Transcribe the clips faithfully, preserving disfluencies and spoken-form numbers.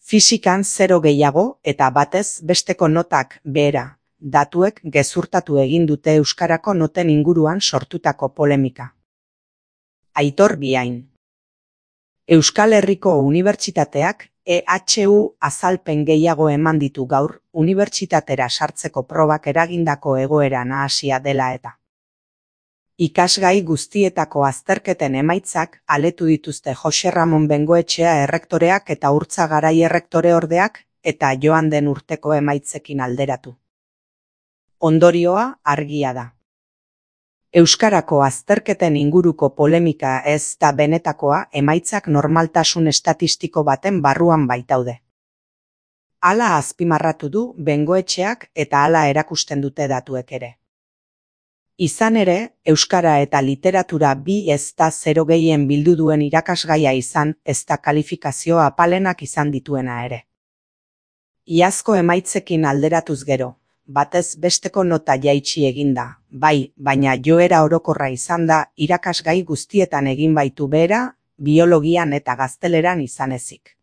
Fisikan zero gehiago eta batez besteko notak behera, datuek gezurtatu egin dute euskarako noten inguruan sortutako polemika. Aitor Biain. Euskal Herriko Unibertsitateak E H U azalpen gehiago eman ditu gaur, unibertsitatera sartzeko probak eragindako egoera nahasia dela eta. Ikasgai guztietako azterketen emaitzak aletu dituzte Jose Ramon Bengoetxea errektoreak eta Urtza Garai errektoreordeak eta joan den urteko emaitzekin alderatu. Ondorioa argia da. Euskarako azterketen inguruko polemika ez da benetakoa, emaitzak normaltasun estatistiko baten barruan baitaude. Hala azpimarratu du Bengoetxeak eta hala erakusten dute datuek ere. Izan ere, euskara eta literatura bi ez da zero gehien bildu duen irakasgaia izan, ez da kalifikazio apalenak izan dituena ere. Iazko emaitzekin alderatuz gero, batez besteko nota jaitsi eginda, bai, baina joera orokorra izan da irakasgai guztietan egin baitu behera, biologian eta gazteleran izan ezik.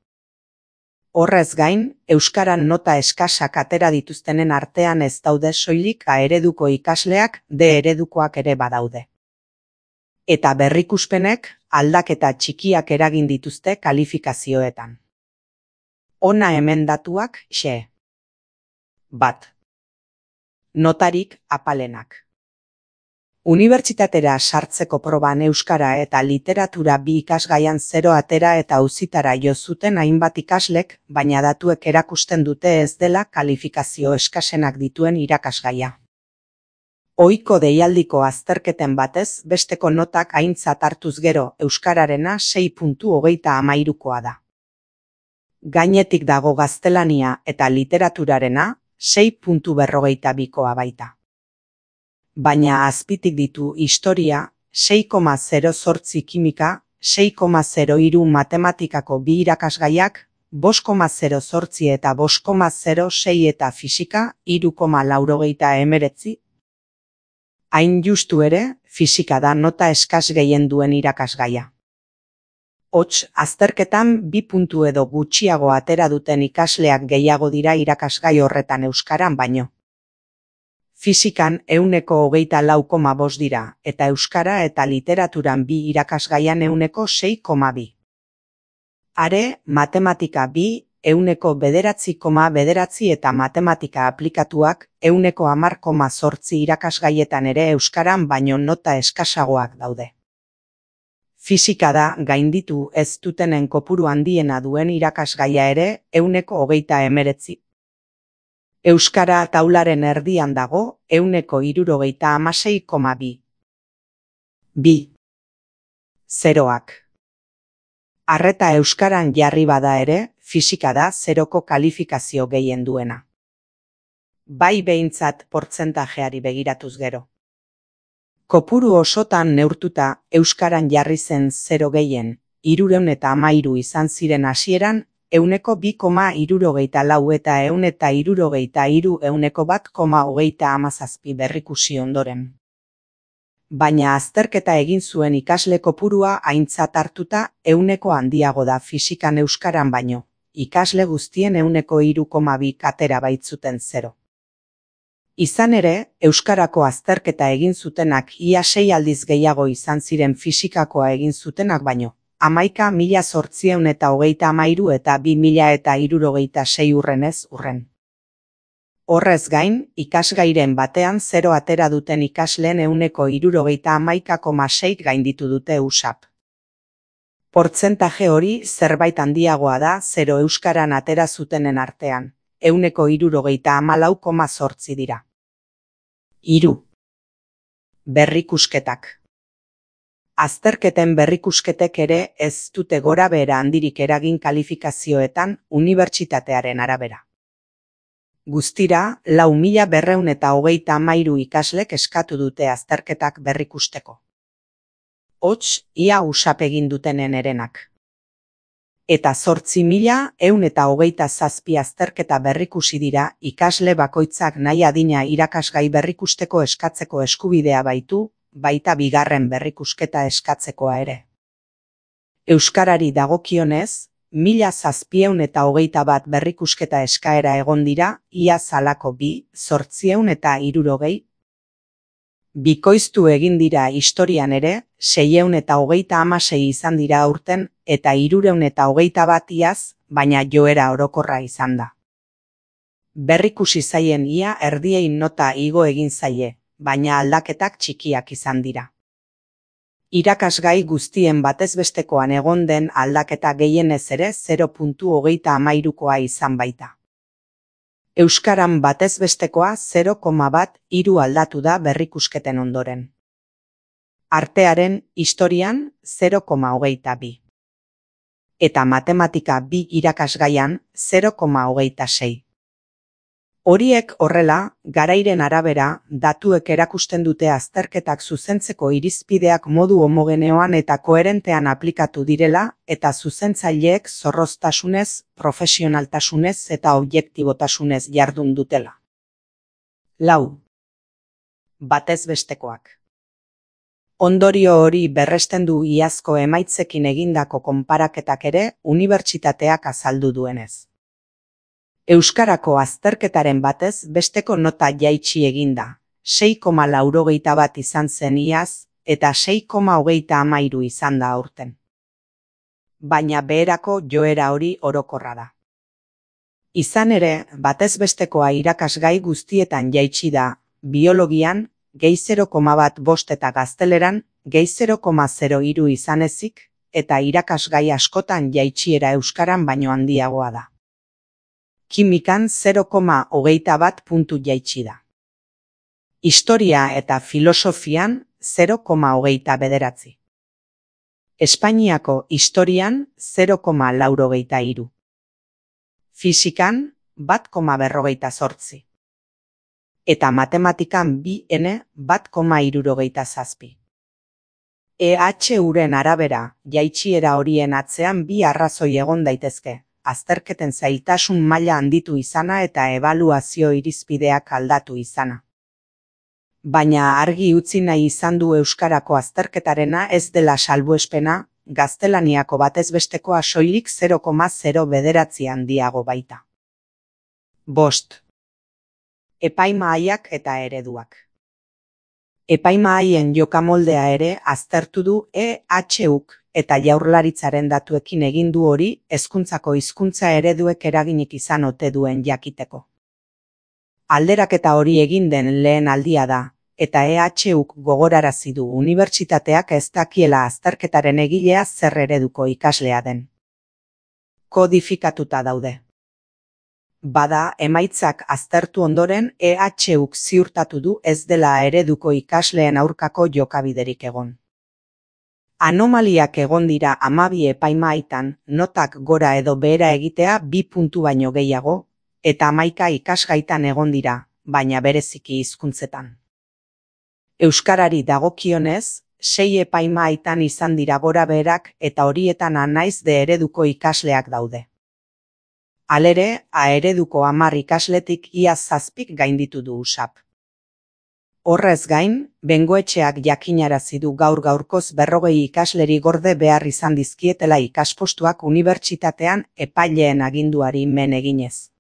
Horrez gain, euskaran nota eskasak atera dituztenen artean ez daude soilik A ereduko ikasleak, D eredukoak ere badaude. Eta berrikuspenek aldaketa txikiak eragin dituzte kalifikazioetan. Hona hemen datuak, xe. Bat. Notarik apalenak. Unibertsitatera sartzeko proban euskara eta literatura bi ikasgaian zero atera eta auzitara jo zuten hainbat ikaslek, baina datuek erakusten dute ez dela kalifikazio eskasenak dituen irakasgaia. Ohiko deialdiko azterketen batez besteko notak aintzat hartuz gero euskararena sei puntu hogeita hamairukoa da. Gainetik dago gaztelania eta literaturarena sei puntu berrogeita bikoa baita. Baina azpitik ditu historia, sei koma zero zortzi kimika, sei koma zero hiru matematikako bi irakasgaiak, bost koma zero zortzi eta bost koma zero sei eta fisika, hiru koma laurogeita hemeretzi. Hain justu ere, fisika da nota eskas gehien duen irakasgaia. Hots, azterketan bi puntu edo gutxiago atera duten ikasleak gehiago dira irakasgai horretan euskaran baino. Fisikan ehuneko hogeita lau koma bost dira, eta euskara eta literaturan bi irakasgaian ehuneko sei koma bi. Are, matematika bi, ehuneko bederatzi koma bederatzi eta matematika aplikatuak ehuneko hamar koma zortzi irakasgaietan ere euskaran baino nota eskasagoak daude. Fisika da gainditu ez dutenen kopuru handiena duen irakasgaia ere ehuneko hogeita hemeretzi. Euskara taularen erdian dago ehuneko hirurogeita hamasei koma bi. Bi. Zeroak. Arreta euskaran jarri bada ere, fisika da zeroko kalifikazio gehien duena. Bai behintzat portzentajeari begiratuz gero. Kopuru osotan neurtuta euskaran jarri zen zero gehien, hirurehun eta hamairu izan ziren hasieran, ehuneko bi koma hirurogeita lau eta ehun eta hirurogeita hiru ehuneko bat koma hogeita hamazazpi berrikusi ondoren. Baina azterketa egin zuen ikasle kopurua aintzat hartuta ehuneko handiago da fisikan euskaran baino, ikasle guztien ehuneko hiru koma bi atera baitzuten zero. Izan ere, euskarako azterketa egin zutenak ia sei aldiz gehiago izan ziren fisikakoa egin zutenak baino, hamaika mila zortziehun eta hogeita hamairu eta bi mila eta hirurogeita sei urrenez urren. Horrez gain, ikasgairen batean zero atera duten ikasleen ehuneko hirurogeita hamaika koma sei gainditu dute U S A P. Portzentaje hori zerbait handiagoa da zero euskaran atera zutenen artean, ehuneko hirurogeita hamalau koma zortzi dira. Hiru. Berrikusketak. Azterketen berrikusketek ere ez dute gora behera handirik eragin kalifikazioetan unibertsitatearen arabera. Guztira, lau mila berrehun eta hogeita hamairu ikaslek eskatu dute azterketak berrikusteko. Hots, ia U S A P egin dutenen erenak. Eta zortzi mila ehun eta hogeita zazpi azterketa berrikusi dira ikasle bakoitzak nahi adina irakasgai berrikusteko eskatzeko eskubidea baitu, baita bigarren berrikusketa eskatzekoa ere. Euskarari dagokionez, mila zazpieun eta hogeita bat berrikusketa eskaera egon dira, iaz halako bi, zortzieun eta hirurogei. Bikoiztu egin dira historian ere, seieun eta hogeita hamasei izan dira aurten, eta hirureun eta hogeita bat iaz, baina joera orokorra izan da. Berrikusi zaien ia erdiei nota igo egin zaie, baina aldaketak txikiak izan dira. Irakasgai guztien batezbestekoan egon den aldaketa gehienez ere zero koma hogeita hamairukoa izan baita. Euskaran batezbestekoa zero koma bat hiru aldatu da berrikusketen ondoren. Artearen historian zero koma hogeita bi. Eta matematika bi irakasgaian zero koma hogeita sei. Horiek horrela, garairen arabera, datuek erakusten dute azterketak zuzentzeko irizpideak modu homogeneoan eta koherentean aplikatu direla eta zuzentzaileek zorroztasunez, profesionaltasunez eta objektibotasunez jardun dutela. Lau. Batezbestekoak. Ondorio hori berresten du iazko emaitzekin egindako konparaketak ere unibertsitateak azaldu duenez. Euskarako azterketaren batez besteko nota jaitsi eginda, sei koma laurogeita bat izan zen iaz eta sei koma hogeita hamairu izan da aurten. Baina beherako joera hori orokorra da. Izan ere, batezbestekoa irakasgai guztietan jaitsi da, biologian, gehi zero koma bat bost eta gazteleran, gehi zero koma zero hiru izan ezik, eta irakasgai askotan jaitsiera euskaran baino handiagoa da. Kimikan zero koma hogeita bat puntu jaitsi da. Historia eta filosofian zero koma hogeita bederatzi. Espainiako historian zero koma laurogeita hiru. Fisikan bat koma berrogeita zortzi. Eta matematikan bi ene bat koma hirurogeita zazpi. E H uren arabera, jaitsiera horien atzean bi arrazoi egon daitezke. Azterketen zailtasun maila handitu izana eta ebaluazio irizpideak aldatu izana. Baina argi utzi nahi izan du euskarako azterketarena ez dela salbuespena, gaztelaniako batezbestekoa soilik zero koma zero bederatzi handiago baita. Bost. Epaimahaiak eta ereduak. Epaimahaien jokamoldea ere aztertu du E H uk. Eta Jaurlaritzaren datuekin egin du hori hezkuntzako hizkuntza ereduek eraginik izan ote duen jakiteko. Alderaketa hori egin den lehen aldia da, eta E H uk gogorarazi du unibertsitateak ez dakiela azterketaren egilea zer ereduko ikaslea den. Kodifikatuta daude. Bada, emaitzak aztertu ondoren E H uk ziurtatu du ez dela ereduko ikasleen aurkako jokabiderik egon. Anomaliak egon dira hamabi epaimahaitan, notak gora edo behera egitea bi puntu baino gehiago, eta hamaika ikasgaitan egon dira, baina bereziki hizkuntzetan. Euskarari dagokionez, sei epaimahaitan izan dira gora beherak eta horietan anaiz de ereduko ikasleak daude. Halere, A ereduko hamar ikasletik ia zazpik gainditu du U S A P. Horrez gain, bengoetxeak jakinarazi du gaur gaurkoz berrogei ikasleri gorde behar izan dizkietela ikaspostuak unibertsitatean epaileen aginduari men eginez.